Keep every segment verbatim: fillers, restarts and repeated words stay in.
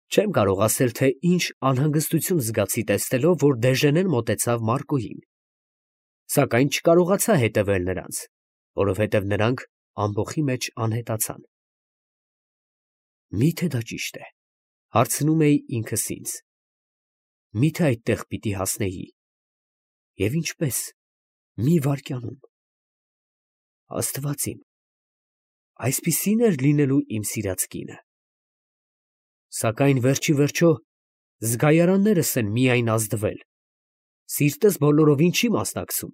Չեմ կարող ասել, թե ինչ անհանգստություն զգացի տեսնելով, որ Դեժենեն մոտեցավ Մարկոյին, սակայն չկարողացա հետևել նրանց, որովհետև նրանք ամբոխի մեջ անհետացան։ Մի՞թե դա ճիշտ է, հարցնում էի ինքս ինձ, մի՞թե այդտեղ պիտի հասնեի, և ինչպես, մի վայրկյանում։ Աստված իմ, այսպիսի՞ն էր լինելու իմ սիրած կինը։ Սակայն վերջիվերջո զգայարաններս են միայն ազդվել, սիրտս բոլորովին չի մասնակցում։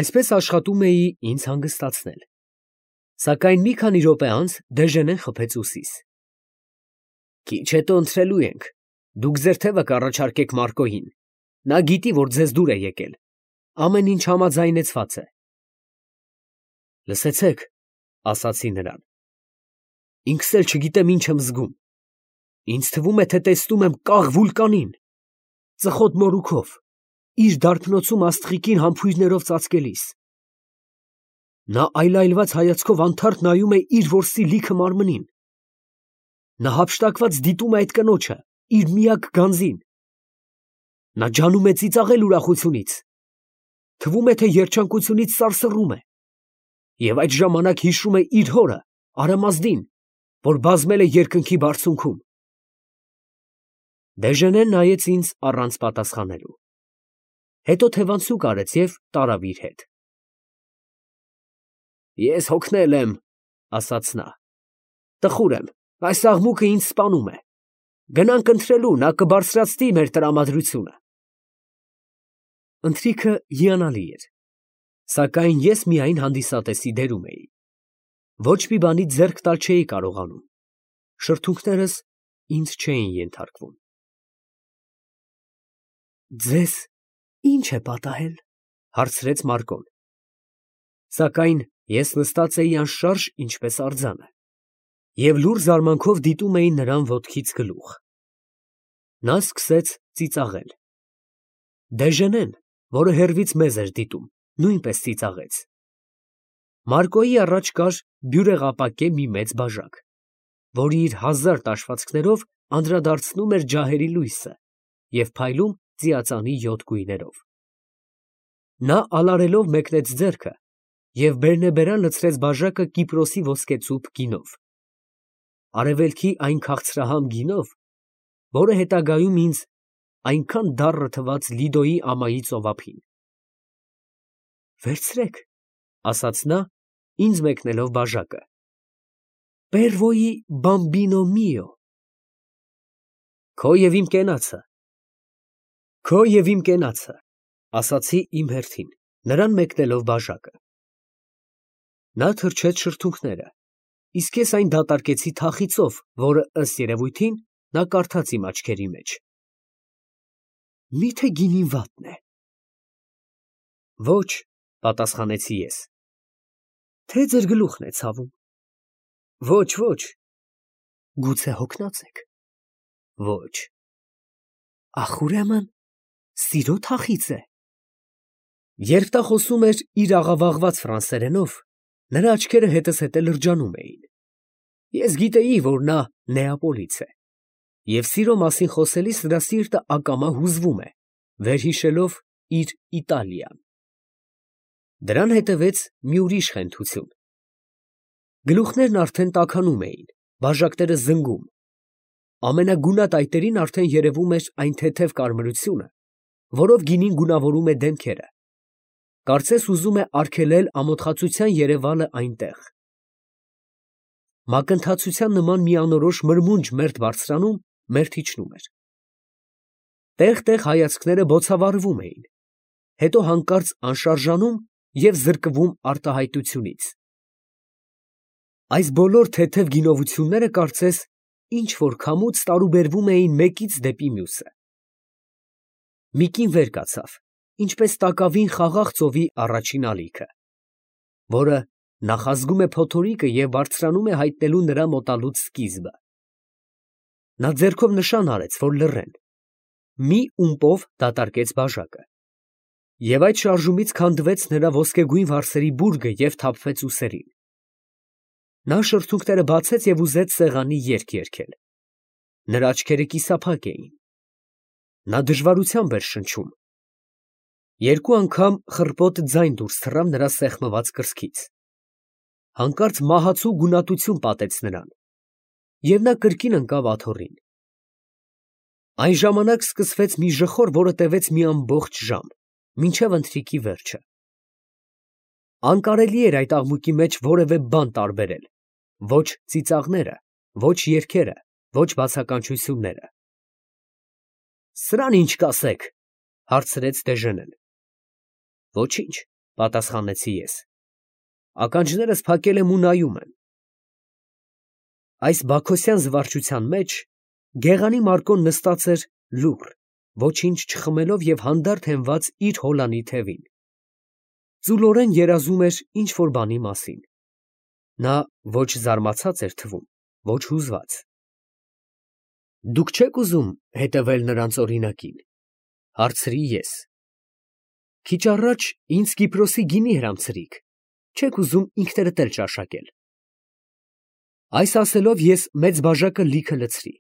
Այսպես աշխատում էի ինձ հանգստացնել, սակայն մի քանի րոպե անց Դեժենեն խփեց ուսիս։ Քիչ հետո ընթրելու ենք, դուք ձեր թևը կառաջարկեք Մարկոյին, նա գիտի, որ ձեզ դուր է եկել, ամեն ինչ համաձայնեցված է։ Լսեցեք, ասացի նրան, ինքս էլ չգիտեմ ինչ եմ զգում, ինձ թվում է, թե տեսնում եմ կաղ վուլկանին, ծխոտ մորուքով, իր դարբնոցում աստղիկին համբույրներով ծածկելիս։ Նա այլայլված հայացքով անթարթ նայում է իր որսի լիքը մարմնին։ Նա հափշտակված դիտում է այդ կնոջը, իր միակ գանձին։ Նա ջանում է ծիծաղել ուրախությունից, թվում է, թե երջանկությունից սարսռում է, և այդ ժամանակ հիշում է իր հորը, Արամազդին, որ բազմել է երկնքի բարձունքում։ Դեժենեն նայեց ինձ առանց պատասխանելու, հետո թևանցուկ արեց և տարավ իր հետ։ Ես հոգնել եմ, ասաց նա, տխուր եմ, այս աղմուկը ինձ սպանում է, գնանք ընթրելու, նա կբարձրացնի մեր տրամադրությունը։ Ընթրիքը հիանալի էր, սակայն ես միայն հանդիսատեսի դերում էի, ոչ մի բանից ձեռք տալ չէի կարողանում, շրթունքներս ինձ չէին ենթարկվում։ Ձեզ ի՞նչ է պատահել, հարցրեց Մարկոն, սակայն ես նստած էի անշարժ, ինչպես արձանը, և լուռ զարմանքով դիտում էի նրան ոտքից գլուխ։ Նա սկսեց ծիծաղել։ Դեժենեն, որը հեռվից մեզ էր դիտում, նույնպես ծիծաղեց։ Մարկոյի առաջ կար բյուրեղապակե մի մեծ բաժակ, որը իր հազար տաշվածքներով անդրադարձնում էր ջահերի լույսը և փայլում ծիածանի յոթ գույներով։ Նա ալարելով մեկնեց ձեռքը և բերնեբերան լցրեց բաժակը Կիպրոսի ոսկեցուփ գինով, արևելքի այն քաղցրահամ գինով, որը հետագայում ինձ այնքան դառը թվաց Լիդոյի ամայի ծովափին։ Վերցրեք, ասաց նա, ինձ մեկնելով բաժակը, per voi bambino mio։ Քո և իմ կենացը, քո և իմ կենացը, ասացի իմ հերթին, նրան մեկնելով բաժակը։ Նա թրջեց շրթունքները, իսկ ես այն դատարկեցի թախիծով, որը, ըստ երևույթին, նա կարդաց իմ աչքերի մեջ։ Մի՞թե գինին վատն է։ Ոչ, պատասխանեցի ես։ Թե ձեր գլուխն է ցավում։ Ոչ, ոչ։ Գուցե հոգնած եք։ Ոչ։ Ախ, ուրեմն, սիրո թախիծ է։ Երբ նա խոսում էր իր աղավաղված ֆրանսերենով, նրա աչքերը հետզհետե հետը լրջանում էին։ Ես գիտեի, որ նա Նեապոլից է, և սիրո մասին խոսելիս նրա սիրտը ակամա հուզվում է, վերհիշելով իր Իտալիան։ Դրան հետևեց մի ուրիշ խենթություն։ Գլուխներն արդեն տաքանում էին, բաժակները զնգում, ամենագունատայտերին արդեն երևում էր այն թեթև կարմրությունը, որով գինին գունավորում է դեմքերը, կարծես ուզում է արգելել ամոթխածության երևալը այնտեղ։ Մակընթացության նման մի անորոշ մրմունջ մերթ բարձրանում, մերթ իջնում էր։ Տեղ֊տեղ հայացքները բոցավառվում էին, հետո հանկարծ անշարժանում և զրկվում արտահայտությունից։ Այս բոլոր թեթև գինովությունները կարծես ինչ֊որ քամուց տարուբերվում էին մեկից դեպի մյուսը։ Մի կին վեր կացավ, ինչպես տակավին խաղաղ ծովի առաջին ալիքը, որը նախազգում է փոթորիկը և բարձրանում է հայտնելու նրա մոտալուտ սկիզբը։ Նա ձեռքով նշան արեց, որ լռեն, մի ումպով դատարկեց բաժակը, և այդ շարժումից քանդվեց նրա ոսկեգույն վարսերի բուրգը և թափվեց ուսերին։ Նա շրթունքները բացեց և ուզեց սեղանի երգ երգել, Նրա աչքերը կիսափակ էին։ Նա դժվարությամբ էր շնչում։ Երկու անգամ խռպոտ ձայն դուրս թռավ նրա սեղմված կրծքից։ Հանկարծ մահացու գունատություն պատեց նրան, և նա կրկին ընկավ աթոռին։ Այն ժամանակ սկսվեց մի ժխոր, որը տևեց մի ամբողջ ժամ, մինչև ընթրիքի վերջը։ Անկարելի էր այդ աղմուկի մեջ որևէ բան տարբերել, ոչ ծիծաղները, ոչ երգերը, ոչ բացականչությունները։ ֊ Սրան ի՞նչ կասեք, ֊ հարցրեց Դեժենեն։ ֊ Ոչինչ, ֊ պատասխանեցի ես. ականջներս փակել եմ ու նայում եմ։ Այս բաքոսյան զվարճության մեջ գեղանի Մարկոն նստած էր լուռ, ոչինչ չխմելով և հանդարտ հենված իր հոլանի թևին. ծուլորեն երազում էր ինչ֊որ բանի մասին։ Նա ոչ զարմացած էր թվում, ոչ հուզված։ ֊ Դուք չե՞ք ուզում հետևել նրանց օրինակին, ֊ հարցրի ես։ ֊ Քիչ առաջ ինձ Կիպրոսի գինի հրամցրիք, չե՞ք ուզում ինքներդ էլ ճաշակել։ Այս ասելով ես մեծ բաժակը լիքը լցրի։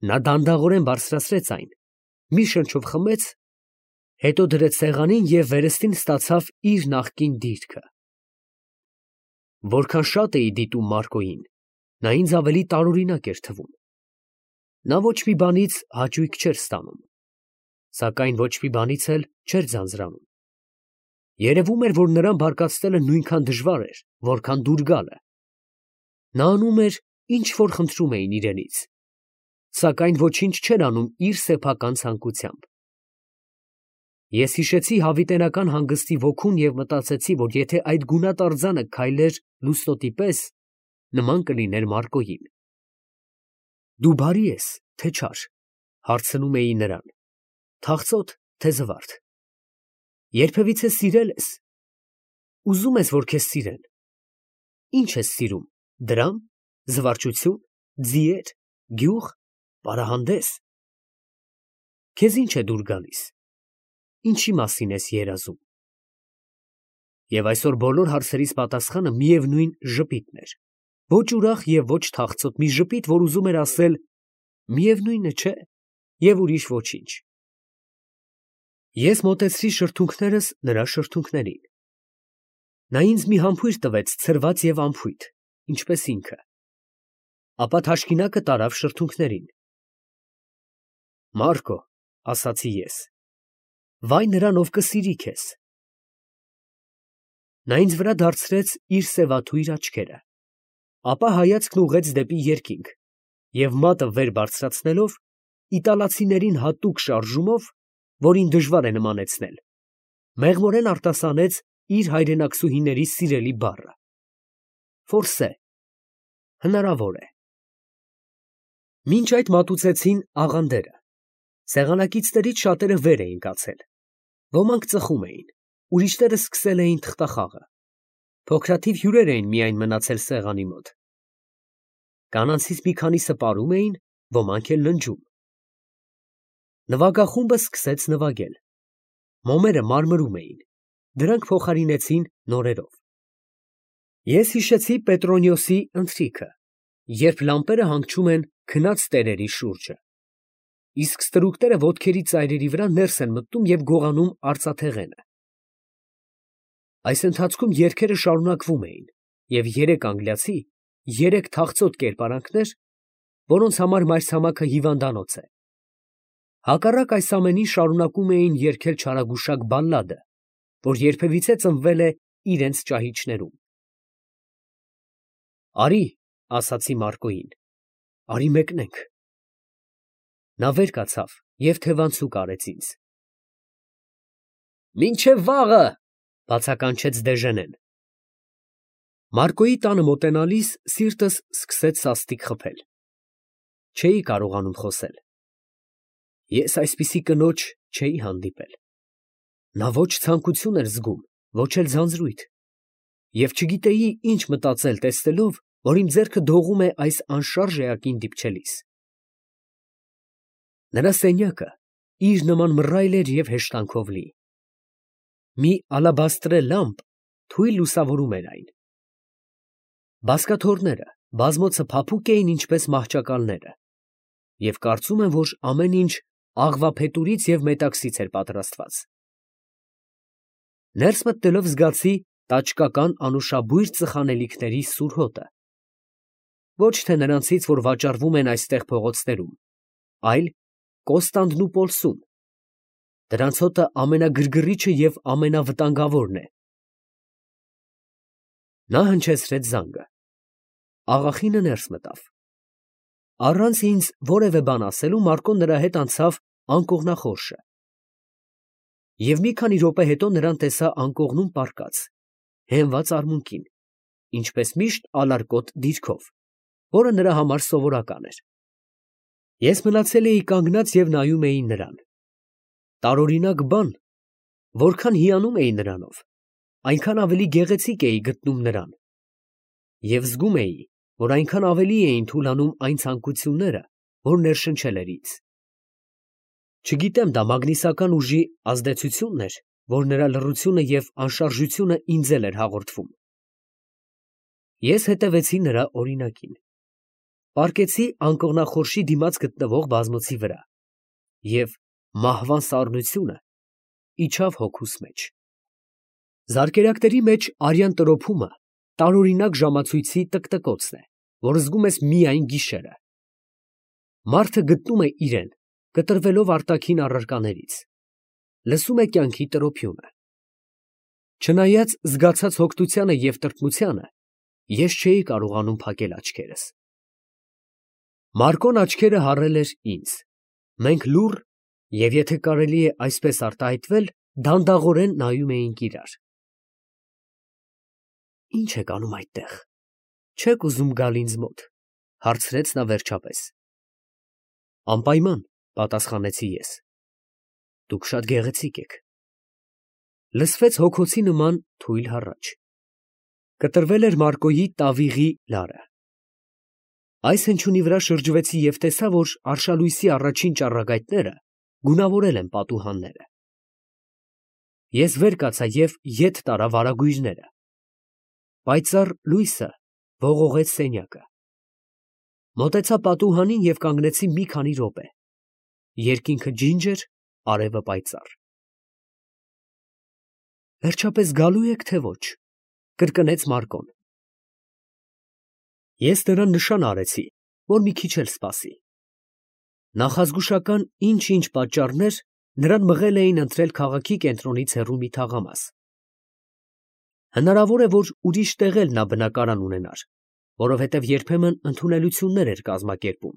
Նա դանդաղորեն բարձրացրեց այն, մի շնչով խմեց, հետո դրեց սեղանին և վերստին ստացավ իր նախկին դիրքը։ Որքան շատ էի դիտում Մարկոյին, նա ինձ ավելի տարօրինակ էր թվում։ Նա ոչ մի բանից հաճույք չէր ստանում, սակայն ոչ մի բանից էլ չէր ձանձրանում։ Երևում էր, որ նրան բարկացնելը նույնքան դժվար էր, որքան դուր գալը։ Նա անում էր, ինչ որ խնդրում էին իրենից, սակայն ոչինչ չէր անում իր սեփական ցանկությամբ։ Ես հիշեցի հավիտենական հանգստի ոգուն և մտածեցի, որ եթե այդ գունատ արձանը քայլեր լուսնոտի պես, նման կլիներ Մարկոյին։ Դու բարի ես, թե չար, ֊ հարցնում էի նրան, ֊ թախծոտ, թե զվարթ։ Երբևիցե սիրե՞լ ես։ Ուզո՞ւմ ես, որ քեզ սիրեն։ Ի՞նչ ես սիրում, դրամ, զվարճություն, ձիեր, գյուղ, պարահանդես։ Քեզ ի՞նչ է դուր գալիս, ինչի մասին ես երազում։ Եվ այսօր բոլոր հարցերիս պատասխանը միևնույն ժպիտն էր, ոչ ուրախ և ոչ թախծոտ մի ժպիտ, որ ուզում էր ասել. միևնույն է, չէ՞, և ուրիշ ոչինչ։ Ես մոտեցրի շրթունքներս նրա շրթունքներին։ Նա ինձ մի համբույր տվեց ցրված և անփույթ, ինչպես ինքը, ապա թաշկինակը տարավ շրթունքներին։ Մարկո, ֊ ասացի ես, ֊ վայ նրան, ով կսիրի քեզ։ Նա ինձ վրա դարձրեց իր սևաթույր աչքերը, ապա հայացքն ուղղեց դեպի երկինք և մատը վեր բարձրացնելով, իտալացիներին հատուկ շարժումով, որին դժվար է նմանեցնել, մեղմորեն արտասանեց իր հայրենակցուհիների սիրելի բառը. «Ֆորսե», հնարավոր է։ Մինչ այդ մատուցեցին աղանդերը։ Սեղանակիցներից շատերը վեր էին կացել, ոմանք ծխում էին, ուրիշները սկսել էին թղթախաղը։ Փոքրաթիվ հյուրեր էին միայն մնացել սեղանի մոտ։ Կանանցից մի քանիսը պարում էին, ոմանք էլ ննջում։ Նվագախումբը սկսեց նվագել։ Մոմերը մարմրում էին, դրանք փոխարինեցին նորերով։ Ես հիշեցի Պետրոնիոսի ընթրիքը, երբ լամպերը հանգչում են քնած տերերի շուրջը, իսկ ստրուկները ոտքերի ծայրերի վրա ներս են մտնում և գողանում արծաթեղենը։ Այս ընթացքում երգերը շարունակվում էին, և երեք անգլիացի, երեք թախծոտ կերպարանքներ, որոնց համար մայրցամաքը հիվանդանոց է, հակառակ այս ամենին շարունակում էին երգել չարագուշակ բալլադը, որ երբևիցե ծնվել է իրենց ճահիճներում։ Արի, ֊ ասացի Մարկոյին, ֊ արի մեկնենք։ Նա վեր կացավ և թևանցուկ արեց ինձ։ Մինչև վաղը, ֊ բացականչեց Դեժենեն։ Մարկոյի տանը մոտենալիս սիրտս սկսեց սաստիկ խփել։ Չէի կարողանում խոսել։ Ես այսպիսի կնոջ չէի հանդիպել։ Նա ոչ ցանկություն էր զգում, ոչ էլ ձանձրույթ, և չգիտեի ինչ մտածել տեսնելով, որ իմ ձեռքը դողում է այս անշարժ էակին դիպչելիս։ Նրա սենյակը իր նման մռայլ էր և հեշտանքով լի։ Մի ալաբաստրե լամպ թույլ լուսավորում էր այն։ Բազկաթոռները բազմոցը փափուկ էին ինչպես մահճակալները, և կարծում եմ, որ ամեն ինչ աղվափետուրից և մետաքսից էր պատրաստված։ Ներս մտնելով զգացի տաճկական անուշաբույր ծխանելիքների սուր հոտը, ոչ թե նրանցից, որ վաճառվում են այստեղ փողոցներում, այլ Կոստանդնուպոլսում, դրանց հոտը ամենագրգռիչը և ամենավտանգավորն է։ Նա հնչեցրեց զանգը։ Աղախինը ներս մտավ։ Առանց ինձ որևէ բան ասելու Մարկոն նրա հետ անցավ անկողնախորշը։ Եվ մի քանի րոպե հետո նրան տեսա անկողնում պառկած, հենված արմունկին, ինչպես միշտ ալարկոտ դիրքով, որը նրա համար սովորական էր։ Ես մնացել էի կանգնած և նայում էի նրան։ Տարօրինակ բան, որքան հիանում էի նրանով, այնքան ավելի գեղեցիկ էի գտնում նրան, և զգում էի, որ այնքան ավելի էին թուլանում այն ցանկությունները, որ ներշնչել էր ինձ։ Չգիտեմ դա մագնիսական ուժի ազդեցությո՞ւնն էր, որ նրա լռությունը և անշարժությունը ինձ էլ էր հաղորդվում։ Ես հետևեցի նրա օրինակին։ Պառկեցի անկողնախորշի դիմաց գտնվող բազմոցի վրա, և մահվան սառնությունը իջավ հոգուս մեջ։ Զարկերակների մեջ արյան տրոփումը տարօրինակ ժամացույցի տկտկոցն է, որ զգում ես միայն գիշերը։ Մարդը գտնում է իրեն, կտրվելով արտաքին առարկաներից, լսում է կյանքի տրոփյունը։ Չնայած զգացած հոգնությանը և տրտմությանը, ես չէի կարողանում փակել աչքերս։ Մարկոն աչքերը հառել էր ինձ, մենք լուռ և, եթե կարելի է այսպես արտահայտվել, դանդաղորեն նայում էինք իրար։ Ի՞նչ եք անում այդտեղ, չե՞ք ուզում գալ ինձ մոտ, ֊ հարցրեց նա վերջապես։ Անպայման, ֊ պատասխանեցի ես։ Դուք շատ գեղեցիկ եք։ Լսվեց հոգոցի նման թույլ հառաչ։ Կտրվել էր Մարկոյի տավիղի լարը։ Այս հնչյունի վրա շրջվեցի և տեսա, որ արշալույսի առաջին ճառագայթները գունավորել են պատուհանները։ Ես վեր կացա և ետ տարա վարագույրները։ Պայծառ լույսը ողողեց սենյակը։ Մոտեցա պատուհանին և կանգնեցի մի քանի րոպե։ Երկինքը ջինջր, արևը պայծառ։ Վերջապես գալո՞ւ եք, թե ոչ, ֊ կրկնեց Մարկոն։ Ես նրան նշան արեցի, որ մի քիչ էլ սպասի։ Նախազգուշական ինչ֊ինչ պատճառներ նրան մղել էին ընտրել քաղաքի կենտրոնից հեռու մի թաղամաս։ Հնարավոր է, որ ուրիշ տեղ էլ նա բնակարան ունենար, որովհետև երբեմն ընդունելություններ էր կազմակերպում։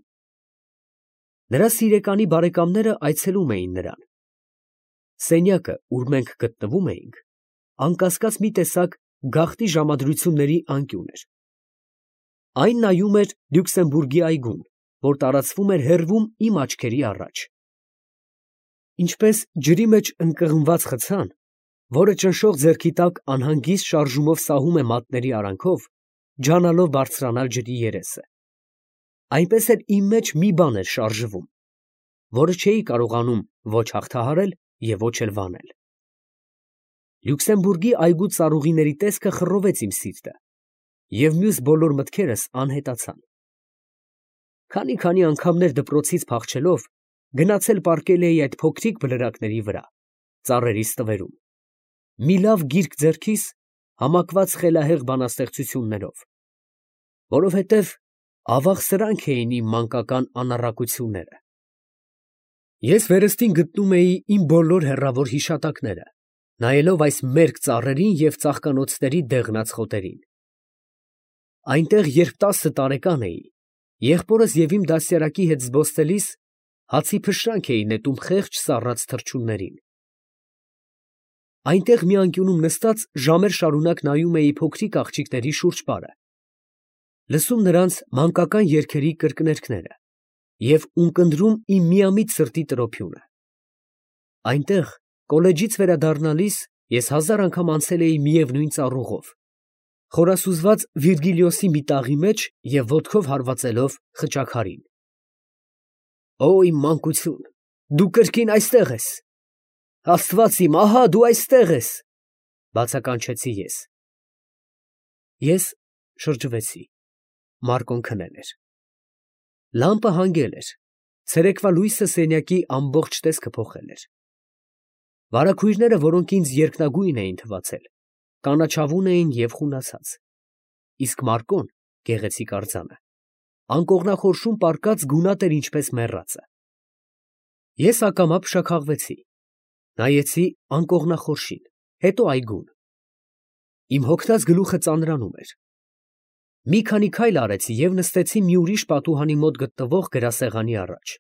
Նրա սիրեկանի բարեկամները այցելում էին նրան։ Սենյակը, ուր մենք գտնվում էինք, անկասկած մի տեսակ գաղտնի ժամադրությունների անկյուն էր։ Այն նայում էր Լյուքսեմբուրգի այգուն, որ տարածվում էր հեռվում իմ աչքերի առաջ։ Ինչպես ջրի մեջ ընկղմված խցան, որը ճնշող ձեռքի տակ անհանգիստ շարժումով սահում է մատների արանքով, ջանալով բարձրանալ ջրի երեսը, այնպես էլ իմ մեջ մի բան էր շարժվում, որը չէի կարողանում ոչ հաղթահարել և ոչ էլ վանել։ Լյուքսեմբուրգի այգու ծառուղիների տեսքը խռովեց իմ սիրտը, և մյուս բոլոր մտքերս անհետացան։ Քանի֊քանի անգամներ դպրոցից փախչելով գնացել պառկել էի այդ փոքրիկ բլրակների վրա, ծառերի ստվերում, մի լավ գիրք ձեռքիս, համակված խելահեղ բանաստեղծություններով, որովհետև ավաղ սրանք էին իմ մանկական անառակությունները։ Ես վերստին գտնում էի իմ բոլոր հեռավոր հիշատակները, նայելով այս մերկ ծառերին և ծաղկանոցների դեղնած խոտերին։ Այնտեղ, երբ տասը տարեկան էի, եղբորս և իմ դաստիարակի հետ զբոսնելիս հացի փշրանք էի նետում խեղճ սառած թռչուններին։ Այնտեղ մի անկյունում նստած ժամեր շարունակ նայում էի փոքրիկ աղջիկների շուրջպարը, լսում նրանց մանկական երգերի կրկներգները և ունկնդրում իմ միամիտ սրտի տրոփյունը։ Այնտեղ, կոլեջից վերադառնալիս, ես հազար անգամ անցել էի միևնույն ծառուղով, խորասուզված Վիրգիլիոսի մի տաղի մեջ և ոտքով հարվածելով խճաքարին։ Օ՜, իմ մանկություն, դու կրկին այստեղ ես… Աստված իմ, ահա դու այստեղ ես… ֊ բացականչեցի ես։ Ես շրջվեցի. Մարկոն քնել էր։ Լամպը հանգել էր, ցերեկվա լույսը սենյակի ամբողջ տեսքը փոխել էր։ Վարագույրները, որոնք ինձ երկնագույն էին թվացել, կանաչավուն էին և խունացած, իսկ Մարկոն, գեղեցիկ արձանը, անկողնախորշում պառկած գունատ էր ինչպես մեռածը։ Ես ակամա փշաքաղվեցի, նայեցի անկողնախորշին, հետո այգուն։ Իմ հոգնած գլուխը ծանրանում էր։ Մի քանի քայլ արեցի և նստեցի մի ուրիշ պատուհանի մոտ գտնվող գրասեղանի առաջ։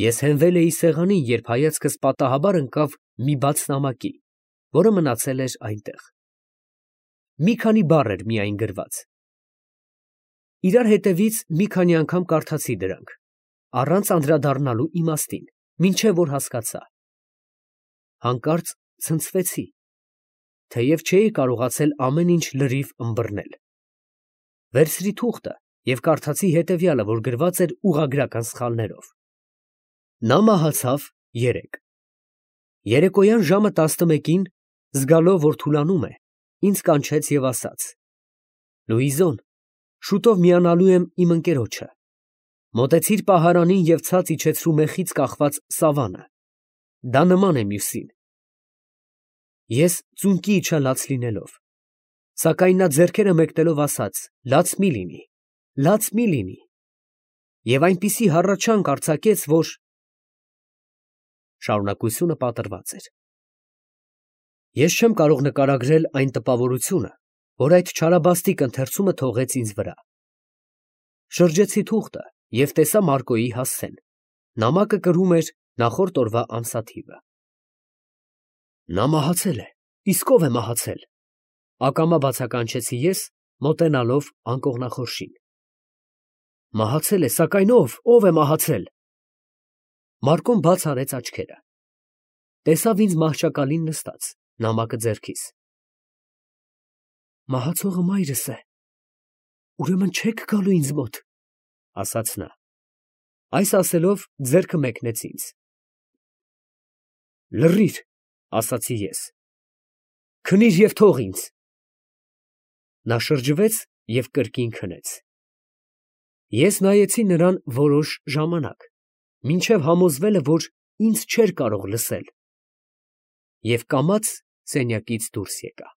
Ես հենվել էի սեղանին, երբ հայացքս պատահաբար ընկավ մի բաց նամակի, որը մնացել էր այնտեղ։ Մի քանի բառ էր միայն գրված։ Իրար հետևից մի քանի անգամ կարդացի դրանք, առանց անդրադառնալու իմաստին, մինչև որ հասկացա։ Հանկարծ ցնցվեցի, թեև չէի կարողացել ամեն ինչ լրիվ ըմբռնել։ Վերցրի թուղթը և կարդացի հետևյալը, որ գրված էր ուղղագրական սխալներով. նա մահացավ երեկ։ Երեկոյան ժամը տասնմեկին, զգալով, որ թուլանում է, ինձ կանչեց և ասաց. «Լուիզոն, շուտով միանալու եմ իմ ընկերոջը։ Մոտեցիր պահարանին և ցած իջեցրու մեխից կախված սավանը, դա նման է մյուսին»։ Ես ծունկի իջա լաց լինելով, սակայն նա ձեռքերը մեկնելով ասաց. «Լաց մի լինի, լաց մի լինի» և այնպիսի հառաչանք արձակեց, որ… Շարունակությունը պատռված էր։ Ես չեմ կարող նկարագրել այն տպավորությունը, որ այդ չարաբաստիկ ընթերցումը թողեց ինձ վրա։ Շրջեցի թուղթը և տեսա Մարկոյի հասցեն, նամակը կրում էր նախորդ օրվա ամսաթիվը։ Նա մահացել է, իսկ ո՞վ է մահացել, ակամա բացականչեցի ես, մոտենալով անկողնախորշին։ Մահացել է, սակայն ո՞վ, ո՞վ է մահացել։ Մարկոն բաց արեց աչքերը, տեսավ ինձ մահճակալին նստած, նամակը ձեռքիս։ Մահացողը մայրս է, ուրեմն չե՞ք գալու ինձ մոտ, ասաց նա։ Այս ասելով ձեռքը մեկնեց ինձ։ Լռիր, ասացի ես, քնիր և թող ինձ։ Նա շրջվեց և կրկին քնեց։ Ես նայեցի նրան որոշ ժամանակ, մինչև համոզվելը, որ ինձ չէր կարող լսել, և կամաց սենյակից դուրս եկա։